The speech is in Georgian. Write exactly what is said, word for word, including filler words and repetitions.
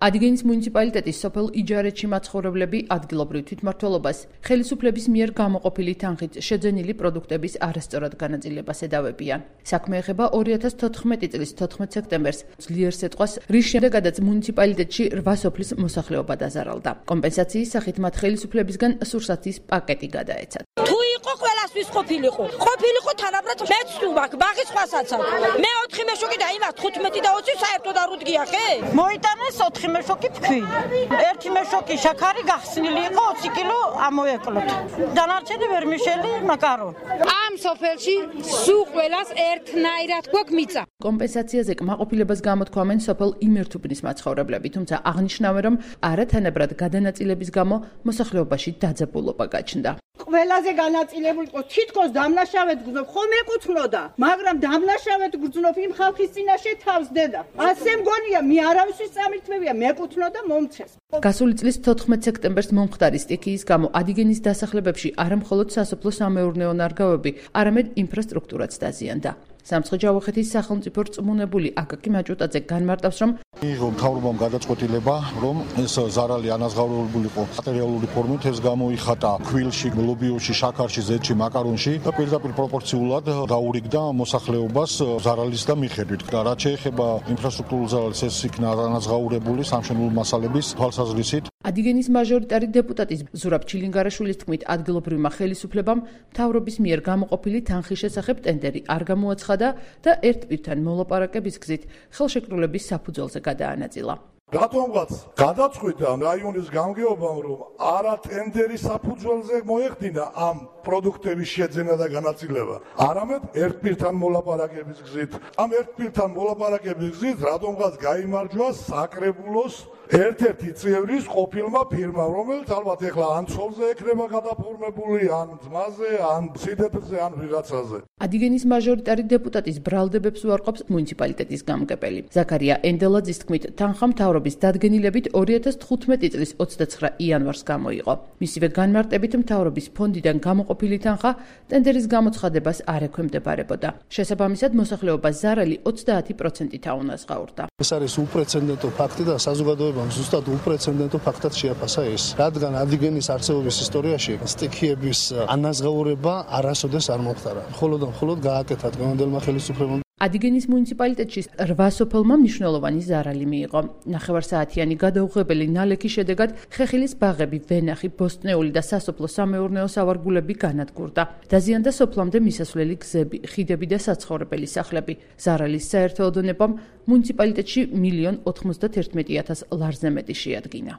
Adigénis მუნიციპალიტეტის სოფელ იჯარეთში მაცხოვრებლები ადგილობრივ თვითმმართველობას ხელისუფლების მიერ გამოყოფილი თანხით შეძენილი პროდუქტების არასწორად განაწილებას ედავებიან. საქმე ეხება ორი ათას თოთხმეტი წლის თოთხმეტ სექტემბერს ძლიერ სიტყვას, რის შემდეგაც მუნიციპალიტეტში რვა სოფლის მოსახლეობა დაზარალდა. კომპენსაციის სახით მათ ხელისუფლებისგან სურსათის პაკეტი გადაეცათ. თუ იყო ყველასთვის ყოფილიყო, ყოფილიყო თანაბრად მეც თუ მაქვს, ბაღის სხვასაც აქვს. მე ოთხი მეშოკი და იმას თხუთმეტი და ოცი საერთოდ არ უდგია ხე? მოიტანეს ოთხი მეშოკი ფქვი. ერთი მეშოკი შაქარი გახსნილი იყო ოცი კილო ამოეკლოთ. დანარჩენი ვერმიშელი, მაკარონი. ამ სოფელში სულ ყველას ერთნაირად გვაქვს მიწა. კომპენსაციაზე კმაყოფილებას გამოთქვამენ სოფელ იმერთუბნის მაცხოვრებლები, თუმცა აღნიშნავენ, რომ არათანაბრად გადანაწილების გამო მოსახლეობაში დაძაბულობა გაჩნდა. ყველაზე განაწილებული იყო თითქოს დამნაშავედ გრძნობ, ხომ ეკუთვნოდა, მაგრამ დამნაშავედ გრძნობ იმ ხალხის წინაშე თავს დედა. ასე მგონია, მე არავისთვის წამირთმევია, მეკუთვნოდა მომცეს. გასული წლის თოთხმეტ სექტემბერს მომხდარი სტიქიის გამო Adigénis დასახლებებში არა მხოლოდ სასოფლო-სამეურნეო ნარგავები, არამედ ინფრასტრუქტურაც დაზიანდა. სამცხე-ჯავახეთის სახელმწიფო რწმუნებული აკაკი მაჭუტაძე განმარტავს, რომ იყო მთავრობამ გადაწყვეტილება, რომ ეს ზარალი ანაზღაურებულიყო მატერიალური ფორმით, ეს გამოიხატა ქვილში, ლობიოში, შაქარში, ზეთში, მაკარონში და პირდაპირ პროპორციულად დაურიგდა მოსახლეობას ზარალის და მიხედვით. და რაც შეეხება ინფრასტრუქტურულ ზარალს, ეს იქნა ანაზღაურებული სამშენებლო მასალების თვალსაზრისით. Adigénis მაჟორიტარი დეპუტატის ზურაბ ჩილინგარაშვილის თქმით, ადგილობრივმა ხელისუფლებამ მთავრობის მიერ გამოყოფილი თანხის შესახებ ტენდერი არ გამოაცხადა და ერთ პირთან მოლაპარაკების გზით ხელშეკრულების საფუძველზე გადაანაწილა. რატომღაც გადაწყვიტა რაიონის გამგეობამ, რომ არა ტენდერის საფუძველზე მოეხდინა ამ პროდუქტების შეძენა და განაწილება, არამედ ერთ პირთან მოლაპარაკების გზით. ამ ერთ პირთან მოლაპარაკების გზით რატომღაც გაიმარჯვა საკრებულოს ერთ-ერთი წევრის ყოფილმა ფირმამ, რომელიც ალბათ ეხლა ან ცოლზე ექნება გადაფორმებული, ან ძმაზე, ან სიდეთრზე, ან ვიღაცაზე. Adigénis მაჟორიტარი დეპუტატის ბრალდებებს უარყოფს მუნიციპალიტეტის გამგებელი. ზაქარია ენდელაძის თქმით, თანხა მთავრობის დადგენილებით ორი ათას თხუთმეტი წლის ოცდაცხრა იანვარს გამოიყო. მისივე განმარტებით მთავრობის ფონდიდან გამოყოფილი თანხა ტენდერის გამოცხადებას არ ექვემდებარებოდა. შესაბამისად, მოსახლეობას ზარალი ოცდაათი პროცენტით აუნაზღაურდა. ეს არის უპრეცედენტო ფაქტი და საზოგადოებამ ზუსტად უპრეცედენტო ფაქტად შეაფასა ეს. რადგან Adigénis არსებობის ისტორიაში სტიქიების ანაზღაურება არასოდეს არ მომხდარა. მხოლოდ და მხოლოდ გააკეთა დღევანდელმა ხელისუფლებამ. Adigénis მუნიციპალიტეტში რვა სოფელმა მნიშვნელოვანი ზარალი მიიღო. ნახევარსაათიანი გადაუღებელი ნალექის შედეგად ხეხილის ბაღები, ვენახი, ბოსტნეული და სასოფლო-სამეურნეო სავარგულები განადგურდა. დაზიანდა სოფლამდე მისასვლელი გზები, ხიდები და საცხოვრებელი სახლები. ზარალის საერთო ოდენობამ მუნიციპალიტეტში მილიონ ოთხმოცდათერთმეტი ათას ლარზე მეტი შეადგინა.